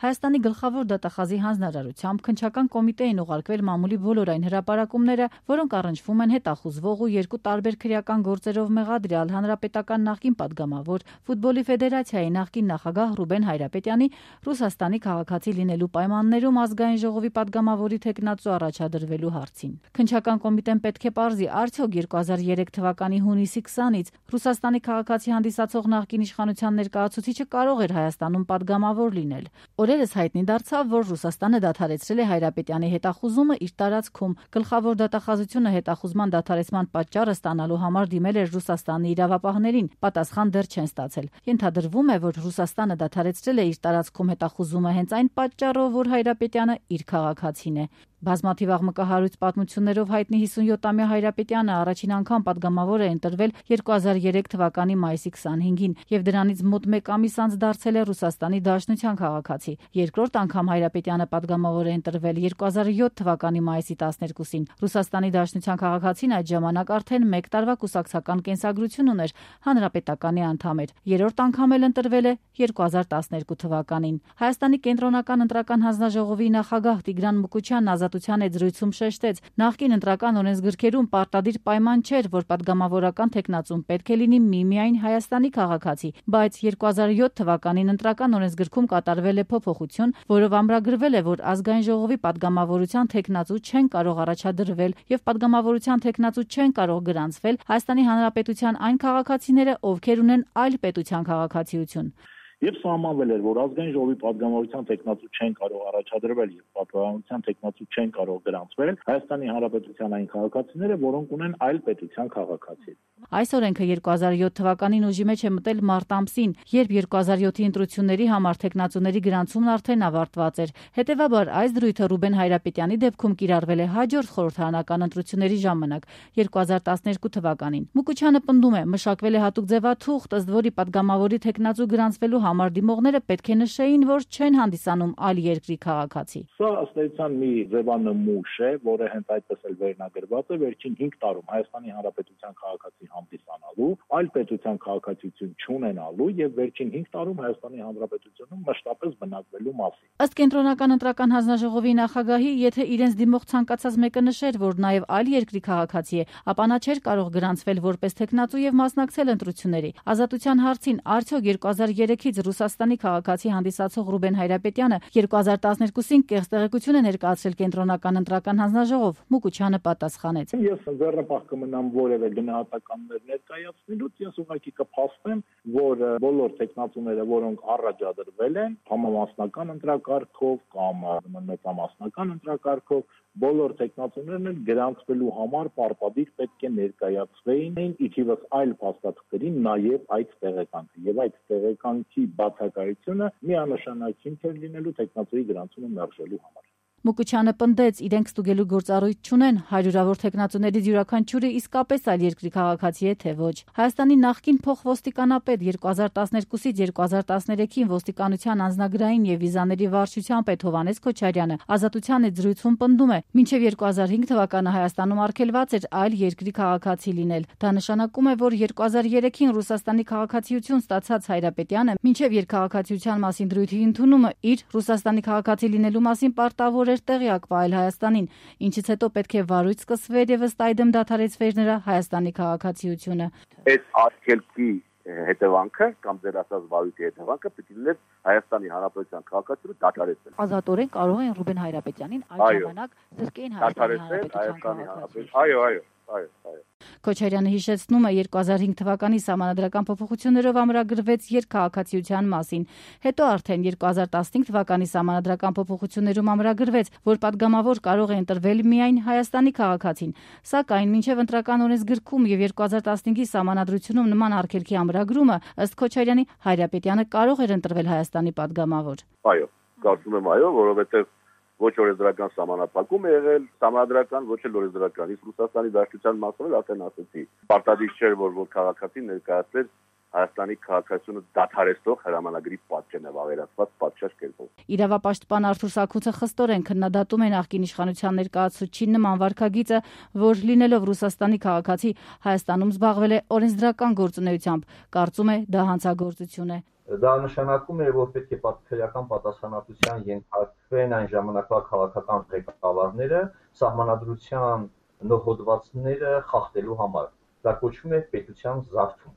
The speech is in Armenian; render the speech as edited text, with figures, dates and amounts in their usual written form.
Հայաստանի գլխավոր դատախազի հանձնարարությամբ քննչական կոմիտե են ուղարկվել մամուլի բոլոր այն հրապարակումները, որոնք առնչվում են հետախուզվող ու երկու տարբեր քրեական գործերով մեղադրյալ հանրապետական նախկին падգամավոր, ֆուտբոլի ֆեդերացիայի նախկին նախագահ Ռուբեն Հայրապետյանի Ռուսաստանի քաղաքացի լինելու պայմաններում ազգային ժողովի падգամավորի թեկնածու առաջադրվելու հարցին։ Քննչական կոմիտեն պետք է պարզի, արդյոք 2003 թվականի հունիսի 20-ից Ռուսաստանի քաղաքացի հանդիսացող նախկին իշխանության ներկայացուցիչը կարող էր Հայաստանում падգամավոր լինել։ Օրերս հայտնի դարձավ, որ Ռուսաստանը դադարեցրել է Հայրապետյանի հետախուզումը իր տարածքում։ Գլխավոր դատախազությունը հետախուզման դադարեցման պատճառը ստանալու համար դիմել էր Ռուսաստանի իրավապահներին, պատասխան դեռ չեն ստացել։ Ենթադրվում է, որ Ռուսաստանը դադարեցրել է իր տարածքում հետախուզումը հենց այն պատճառով, որ Հայրապետյանը իր քաղաքացին է։ Բազմաթիվ աղմկահարույց պատմություններով հայտնի 57-ամյա Հայրապետյանը առաջին անգամ падգամավոր է ընտրվել 2003 թվականի մայիսի 25-ին եւ դրանից մոտ մեկ ամիս անց դարձել է Ռուսաստանի Դաշնության քաղաքացի։ Երկրորդ անգամ Հայրապետյանը падգամավոր է ընտրվել 2007 թվականի մայիսի 12-ին։ Ռուսաստանի Դաշնության քաղաքացին այդ ժամանակ արդեն 1 տարվա կուսակցական կենսագրություն ուներ, հանրապետականի անդամ էր։ Երրորդ անգամ էլ ընտրվել է 2012 թվականին։ Հայաստանի կենտրոնական ընտրական հանձնաժողովի նախագահ Տիգրան Մուկուչյանն ազատության այդ զրույցում շեշտեց. նախկին ընտրական օրենսգրքերում պարտադիր պայման չէր, որ падգամավորական թեկնածուն պետք է լինի միմիայն Հայաստանի քաղաքացի, բայց 2007 թվականին ընտրական օրենսգրքում կատարվել է փոփոխություն, որով ամրագրվել է, որ ազգային ժողովի падգամավորության թեկնածու չեն կարող առաջադրվել եւ падգամավորության թեկնածու չեն կարող գրանցվել Հայաստանի Հանրապետության այն քաղաքացիները, ովքեր ունեն այլ պետության քաղաքացիություն։ Եվ սահմանվել էր, որ ազգային ժողովի падգամավորության թեկնածու չեն կարող առաջադրվել եւ падգամավորության թեկնածու չեն կարող գրանցվել Հայաստանի Հանրապետության այն քաղաքացիները, որոնք ունեն այլ պետության քաղաքացի։ Այս օրենքը 2007 թվականին ուժի մեջ է մտել մարտ ամսին, երբ 2007-ի ընտրությունների համար թեկնածուների գրանցումն արդեն ավարտված էր։ Հետևաբար այս դրույթը Ռուբեն Հայրապետյանի դեպքում կիրառվել է հաջորդ խորհրդարանական ընտրությունների ժամանակ 2012 թվականին։ Մուկուչյանը պնդում է, մշակվել է հատուկ ձևաթուղթ, ըստ որի падգամավորի թեկնածու գրանցվելու համար դիմողները պետք է նշեին, որ չեն հանդիսանում այլ երկրի քաղաքացի։ Սա ըստ էության մի ձևանմուշ է, որը հենց այդպես էլ վերնագրված է վերջին 5 տարում Հայաստանի Հանրապետության քաղաքացի հանդիսանալու, այլ պետության քաղաքացիություն չունենալու եւ վերջին 5 տարում Հայաստանի Հանրապետությունում մշտապես բնակվելու մասին։ Ըստ կենտրոնական ընտրական հանձնաժողովի նախագահի, եթե իրենց դիմող ցանկացած մեկը նշեր, որ նաեւ այլ երկրի քաղաքացի է, ապա նա չէր կարող գրանցվել որպես թեկնածու եւ մասնակցել ընտրությունների։ Ազատության հարցին արդյոք 2003-ից Ռուսաստանի քաղաքացի հանդիսացող Ռուբեն Հայրապետյանը 2012-ին կեղծ տեղեկություն է ներկայացրել կենտրոնական ընտրական հանձնաժողով, Մուկուչյանը պատասխանեց. Ես վերապահ կմնամ որևէ գնահատականներ ներկայացնելուց, ես ուղղակի կփաստեմ, որ բոլոր տեխնացուները, որոնք առաջադրվել են համամասնական ընտրակարգով կամ մեծամասնական ընտրակարգով, բոլոր տեխնացուներն էլ գրանցվելու համար պարտադիր պետք է ներկայացվեին ի թիվս այլ փաստաթղթերի նաև այդ տեղեկանքը եւ այդ տեղեկանքի բացակայությունը միանշանակ հիմք էր լինելու տեխնացուի գրանցումը մերժելու համար։ Մուկուչյանը պնդեց, իրենք ստուգելու գործառույթ չունեն, հարյուրավոր թեկնածուներից յուրաքանչյուրը իսկապես այլ երկրի քաղաքացի է թե ոչ։ Հայաստանի նախկին փոխոստիկանապետ 2012-ից 2013-ին ոստիկանության անձնագրային եւ վիզաների վարչության պետ Հովհաննես Քոչարյանը ազատության այդ զրույցում պնդում է, մինչև 2005 թվականը Հայաստանում արգելված էր այլ երկրի քաղաքացի լինել։ Դա նշանակում է, որ 2003-ին Ռուսաստանի քաղաքացիություն ստացած Հայրապետյանը մինչև երկքաղաքացիության մասին դրույթի ընդունումը իր Ռուսաստանի քաղաքացի լինելու մասին պարտավոր էր տեղյակ վայել Հայաստանին, ինչից հետո պետք է վարույց սկսվեր եւ ըստ այդմ դադարեցվեր նրա Հայաստանի քաղաքացիությունը։ Այդ արգելքի հետևանքը կամ ձեր ասած վարույթի հետևանքը պետք է լիներ Հայաստանի Հանրապետության քաղաքացիությունը դադարեցնել։ Ազատորեն կարող են Ռուբեն Հայրապետյանին այդ ժամանակ զրկեին Հայաստանի Հանրապետության։ Այո։ Քոչարյանը հիշեցնում է 2005 թվականի սահմանադրական փոփոխություններով ամրագրվեց երկքաղաքացիության մասին։ Հետո արդեն 2015 թվականի սահմանադրական փոփոխություններում ամրագրվեց, որ падգամավոր կարող է ընտրվել միայն Հայաստանի քաղաքացին։ Սակայն մինչև ընտրական օրենսգրքում եւ 2015-ի սահմանադրությունում նման արգելքի ամրագրումը ըստ Քոչարյանի Հայրապետյանը կարող էր ընտրվել Հայաստանի падգամավոր։ Այո, կարծում եմ այո, որովհետեւ ոչ օրենսդրական սահմանափակում է եղել, սահմանադրական ոչ էլ օրենսդրական։ Իսկ Ռուսաստանի Դաշնության մասով արդեն ասեցի, պարտադիր չէր, որ քաղաքացին ներկայացներ Հայաստանի քաղաքացիությունը դադարեցնող հրամանագրի պատճեն է ավերացված պատշաճ կերպով։ Իրավապաշտպան Արթուր Սաքուցը խստորեն քննադատում է նախկին իշխանության ներկայացուցչի նման վարքագիծը, որ լինելով Ռուսաստանի քաղաքացի Հայաստանում զբաղվել է օրենսդրական գործունեությամբ, կարծում է դա հանցագործություն է։ Դա նշանակում է, որ պետք է քրեական պատասխանատվության ենթարկվեն այն ժամանակվա քաղաքական ղեկավարները սահմանադրության նոր հոդվածները խախտելու համար։ Դա կոչվում է պետության զարթում։